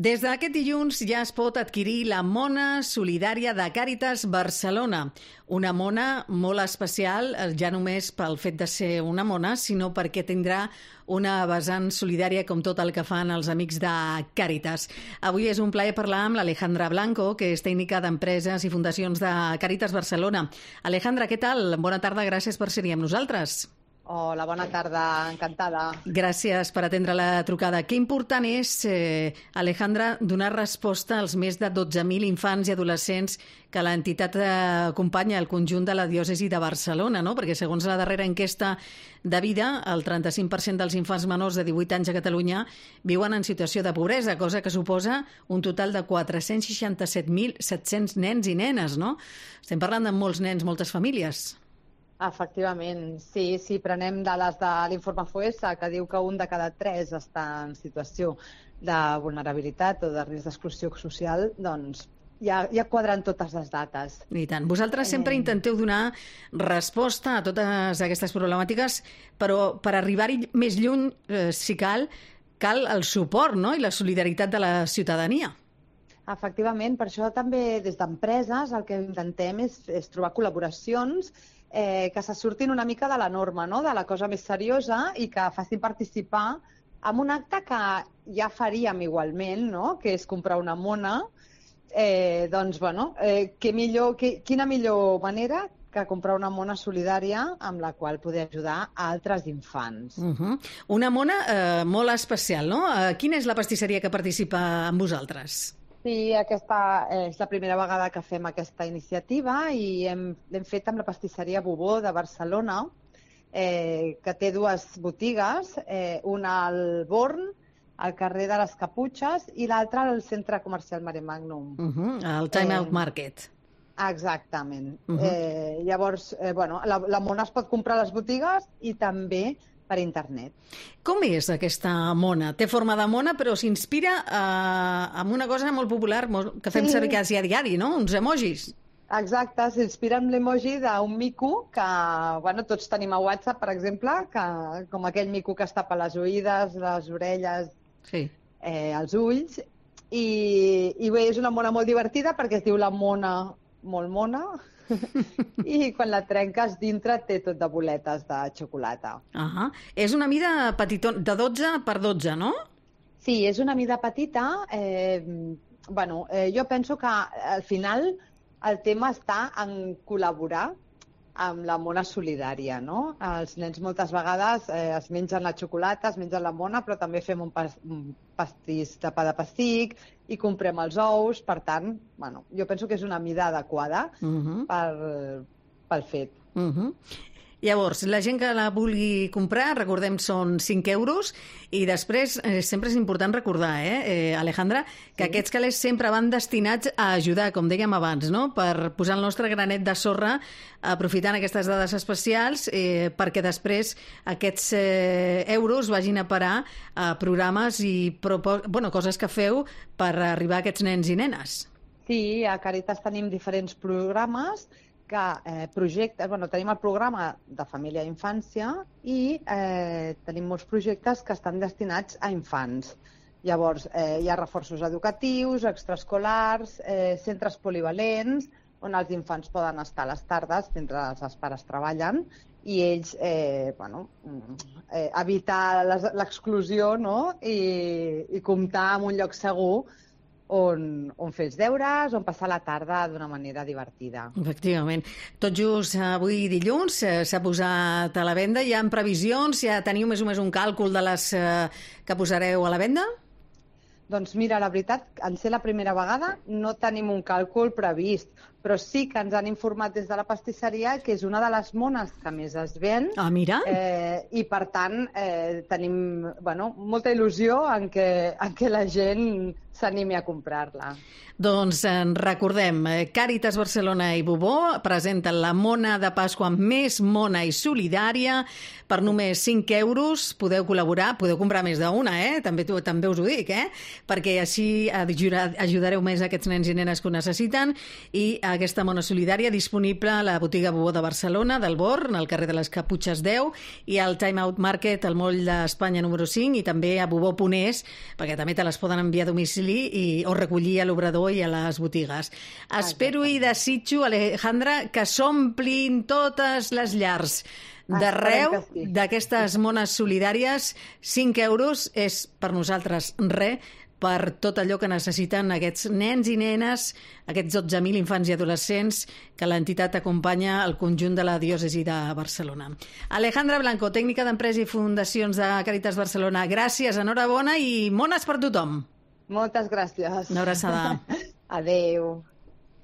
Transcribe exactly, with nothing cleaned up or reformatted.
Des d'aquest dilluns ja es pot adquirir la mona solidària de Càritas Barcelona. Una mona molt especial, ja només pel fet de ser una mona, sinó perquè tindrà una vessant solidària com tot el que fan els amics de Càritas. Avui és un plaer parlar amb l'Alejandra Blanco, que és tècnica d'empreses i fundacions de Càritas Barcelona. Alejandra, què tal? Bona tarda, gràcies per ser-hi amb nosaltres. Hola, bona tarda, encantada. Gràcies per atendre la trucada. Que important és, eh, Alejandra, donar resposta als més de dotze mil infants i adolescents que l'entitat acompanya al conjunt de la diòcesi de Barcelona, no? Perquè segons la darrera enquesta de vida, el trenta-cinc per cent dels infants menors de divuit anys a Catalunya viuen en situació de pobresa, cosa que suposa un total de quatre-cents seixanta-set mil set-cents nens i nenes, no? Estem parlant de molts nens, moltes famílies. Efectivament, sí, sí, prenem dades de l'informe Foessa, que diu que un de cada tres està en situació de vulnerabilitat o de risc d'exclusió social, doncs ja, ja quadren totes les dates. I tant. Vosaltres sempre intenteu donar resposta a totes aquestes problemàtiques, però per arribar-hi més lluny, eh, si cal, cal el suport, no?, i la solidaritat de la ciutadania. Efectivament, per això també des d'empreses el que intentem és, és trobar col·laboracions Eh, que se surtin una mica de la norma, no? De la cosa més seriosa i que facin participar en un acte que ja faríem igualment, no? Que és comprar una mona. Eh, doncs, bueno, eh, que millor, que, quina millor manera que comprar una mona solidària amb la qual poder ajudar a altres infants. Uh-huh. Una mona eh, molt especial, no? Eh, quina és la pastisseria que participa amb vosaltres? Sí, aquesta és la primera vegada que fem aquesta iniciativa i hem, l'hem fet amb la pastisseria Bobó de Barcelona, eh, que té dues botigues, eh, una al Born, al carrer de les Caputxes, i l'altra al centre comercial Mare Magnum. Uh-huh, al Time Out eh, Market. Exactament. Uh-huh. eh, llavors, eh, bueno, la, la mona es pot comprar a les botigues i també per internet. Com és aquesta mona? Té forma de mona, però s'inspira eh, en una cosa molt popular molt, que fem sí. servir quasi a diari, no? Uns emojis. Exacte, s'inspira en l'emoji d'un mico que, bueno, tots tenim a WhatsApp, per exemple, que, com aquell mico que es tapa les oïdes, les orelles, sí. eh, els ulls, i, i bé, és una mona molt divertida perquè es diu la mona molt mona, i quan la trenques dintre té tot de boletes de xocolata. Uh-huh. És una mida petitona, de dotze per dotze, no? Sí, és una mida petita. Eh, bueno, eh, jo penso que al final el tema està en col·laborar amb la mona solidària, no? Els nens moltes vegades eh, es mengen la xocolata, es mengen la mona, però també fem un, pas, un pastís de pa de pessic i comprem els ous. Per tant, bueno, jo penso que és una mida adequada uh-huh. per, pel fet. Uh-huh. Llavors, la gent que la vulgui comprar, recordem, són cinc euros, i després eh, sempre és important recordar, eh, eh Alejandra, que sí. aquests calés sempre van destinats a ajudar, com dèiem abans, no?, per posar el nostre granet de sorra, aprofitant aquestes dades especials, eh, perquè després aquests eh, euros vagin a parar a programes i propos- bueno, coses que feu per arribar a aquests nens i nenes. Sí, a Càritas tenim diferents programes que eh, projectes, bueno, tenim el programa de família i infància i eh, tenim molts projectes que estan destinats a infants. Llavors, eh, hi ha reforços educatius, extraescolars, eh, centres polivalents, on els infants poden estar a les tardes mentre els pares treballen i ells, eh, bueno, eh, evitar l'exclusió, no?, i, i comptar amb un lloc segur On, on fer els deures, on passar la tarda d'una manera divertida. Efectivament. Tot just avui dilluns s'ha posat a la venda. Hi ha previsions? Ja teniu més o més un càlcul de les que posareu a la venda? Doncs mira, la veritat, en ser la primera vegada no tenim un càlcul previst, però sí que ens han informat des de la pastisseria que és una de les mones que més es ven. Ah, mira! Eh, I, per tant, eh, tenim bueno, molta il·lusió en que, en que la gent s'animi a comprar-la. Doncs en recordem, Càritas Barcelona i Bobó presenten la mona de Pasqua més mona i solidària per només cinc euros. Podeu col·laborar, podeu comprar més d'una, eh? També, també us ho dic, eh? perquè així ajudareu més aquests nens i nenes que ho necessiten, i aquesta Mona Solidària disponible a la botiga Bubó de Barcelona, del Born, al carrer de les Caputxes deu, i al Time Out Market, al moll d'Espanya número cinc, i també a bubó punt es, perquè també te les poden enviar a domicili i, o recollir a l'obrador i a les botigues. Espero i desitjo, Alejandra, que s'omplin totes les llars d'arreu d'aquestes mones solidàries. cinc euros és per nosaltres res, per tot allò que necessiten aquests nens i nenes, aquests dotze mil infants i adolescents que l'entitat acompanya al conjunt de la diòcesi de Barcelona. Alejandra Blanco, tècnica d'empresa i fundacions de Càritas Barcelona, gràcies, enhorabona i mones per tothom. Moltes gràcies. Una abraçada. Adéu.